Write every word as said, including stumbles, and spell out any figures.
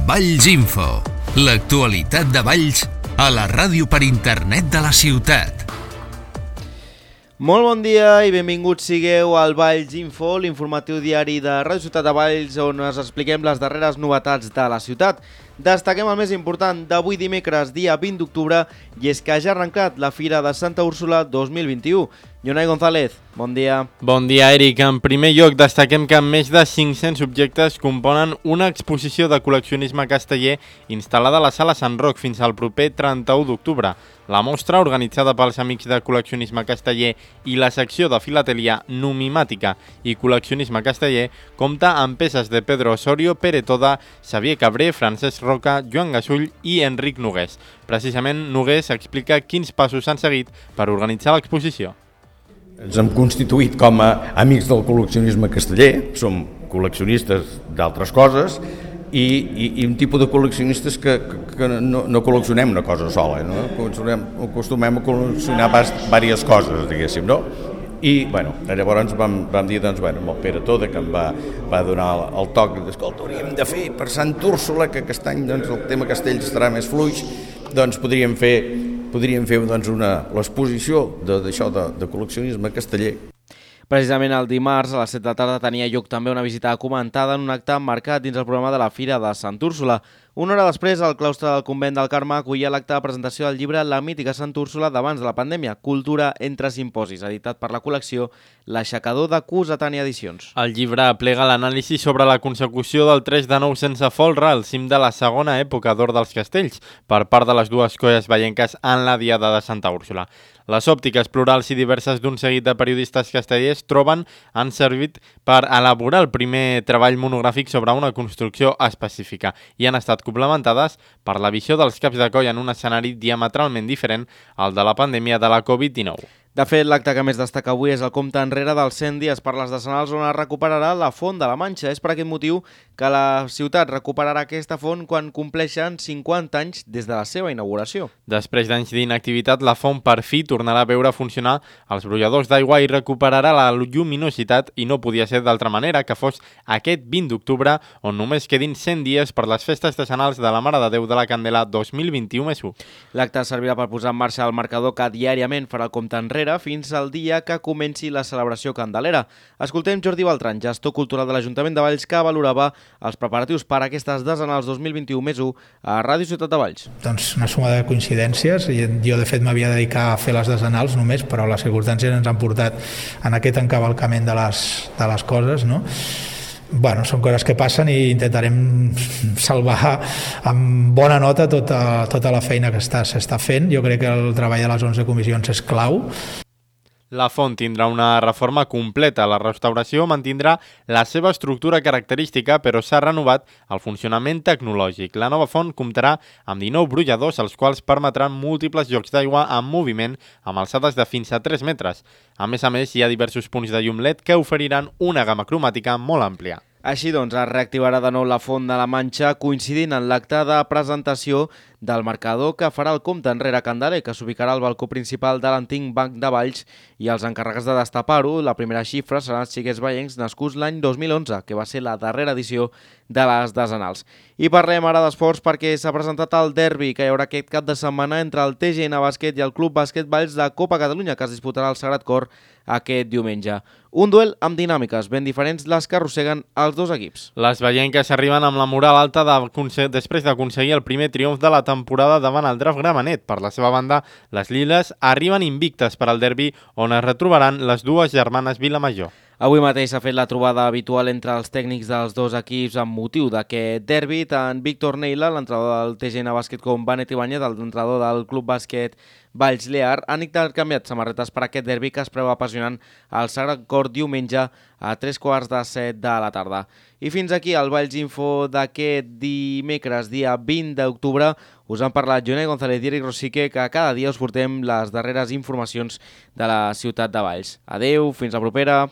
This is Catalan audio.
Valls Info, l'actualitat de Valls a la ràdio per internet de la ciutat. Molt bon dia i benvinguts sigueu al Valls Info, l'informatiu diari de Ràdio Ciutat de Valls, on us expliquem les darreres novetats de la ciutat. Destaquem el més important d'avui dimecres, dia vint d'octubre, i és que ja ha arrencat la Fira de Santa Úrsula dos mil vint-i-u. Jonai González, bon dia. Bon dia, Eric. En primer lloc, destaquem que més de cinc-cents objectes componen una exposició de col·leccionisme casteller instal·lada a la Sala Sant Roc fins al proper trenta-u d'octubre. La mostra, organitzada pels Amics de Col·leccionisme Casteller i la secció de filatelia numimàtica i col·leccionisme casteller, compta amb peces de Pedro Osorio, Pere Toda, Xavier Cabré, Francesc Roca, Joan Gasull i Enric Nogués. Precisament, Nogués explica quins passos s'han seguit per organitzar l'exposició. Ens hem constituït com a amics del col·leccionisme casteller, som col·leccionistes d'altres coses i, i, i un tipus de col·leccionistes que, que, que no, no col·leccionem una cosa sola, no? Acostumem a col·leccionar diverses coses, diguéssim, no? I, bueno, llavors vam, vam dir, doncs, bueno, amb el Pere Toda, que em va, va donar el, el toc, escolta, hauríem de fer per Sant Úrsula, que aquest any doncs, el tema castells estarà més fluix, doncs podríem fer podríem fer doncs, una, l'exposició d'això de, de col·leccionisme casteller. Precisament el dimarts a les set de la tarda tenia lloc també una visita comentada en un acte marcat dins el programa de la Fira de Sant Úrsula. Una hora després, el claustre del convent del Carme acollia l'acte de presentació del llibre La mítica Sant Úrsula d'abans de la pandèmia, Cultura entre simposis, editat per la col·lecció L'Aixecador de Cossetània Edicions. El llibre aplega l'anàlisi sobre la consecució del tres de nou sense folre al cim de la segona època d'or dels castells per part de les dues colles vallenques en la Diada de Santa Úrsula. Les òptiques plurals i diverses d'un seguit de periodistes castellers troben han servit per elaborar el primer treball monogràfic sobre una construcció específica i han estat complementades per la visió dels caps de coll en un escenari diametralment diferent al de la pandèmia de la covid dinou. De fet, l'acte que més destaca avui és el compte enrere dels cent dies per les decenals on es recuperarà la Font de la Manxa. És per aquest motiu que la ciutat recuperarà aquesta font quan compleixen cinquanta anys des de la seva inauguració. Després d'anys d'inactivitat, la font per fi tornarà a veure funcionar els brolladors d'aigua i recuperarà la lluminositat i no podia ser d'altra manera que fos aquest vint d'octubre on només quedin cent dies per les festes decenals de la Mare de Déu de la Candela dos mil vint-i-u més u. L'acte servirà per posar en marxa el marcador que diàriament farà el compte enrere fins al dia que comenci la celebració candelera. Escoltem Jordi Beltran, gestor cultural de l'Ajuntament de Valls, que valorava els preparatius per a aquestes decenals dos mil vint-i-u més u a Ràdio Ciutat de Valls. Doncs una suma de coincidències. Jo, de fet, m'havia de dedicar a fer les decenals només, però les circumstàncies ens han portat en aquest encavalcament de les, de les coses, no? Bueno, són coses que passen i intentarem salvar amb bona nota tota, tota la feina que s'està fent. Jo crec que el treball de les onze comissions és clau. La font tindrà una reforma completa. La restauració mantindrà la seva estructura característica, però s'ha renovat el funcionament tecnològic. La nova font comptarà amb dinou brolladors, els quals permetran múltiples jocs d'aigua en moviment amb alçades de fins a tres metres. A més a més, hi ha diversos punts de llum L E D que oferiran una gamma cromàtica molt àmplia. Així doncs, es reactivarà de nou la Font de la Manxa coincidint en l'acte de presentació del marcador que farà el compte enrere candeler, que s'ubicarà al balcó principal de l'antic Banc de Valls, i els encarregats de destapar-ho, la primera xifra seran els xiquets vallencs nascuts l'any dos mil onze, que va ser la darrera edició de les decenals. I parlem ara d'esports perquè s'ha presentat el derbi que hi haurà aquest cap de setmana entre el T G N Bàsquet i el Club Bàsquet Valls de Copa Catalunya, que es disputarà al Sagrat Cor aquest diumenge. Un duel amb dinàmiques ben diferents les que arrosseguen els dos equips. Les vallenques arriben amb la moral alta de, després d'aconseguir el primer triomf de la temporada davant el Draft Gramenet. Per la seva banda, les liles arriben invictes per al derbi on es retrobaran les dues germanes Vilamajor. Avui mateix s'ha fet la trobada habitual entre els tècnics dels dos equips amb motiu d'aquest derbi. Tant Víctor Neila, l'entrenador del T G N Bàsquet, com Benet Ibáñez, l'entrenador del Club Bàsquet Valls Lear, han intercanviat samarretes per aquest derbi que es preveu apassionant al Sagrat Cor diumenge a tres quarts de set de la tarda. I fins aquí el Valls Info d'aquest dimecres, dia vint d'octubre. Us han parlat Jonai González i Eric Rosique, que cada dia us portem les darreres informacions de la ciutat de Valls. Adeu, fins la propera.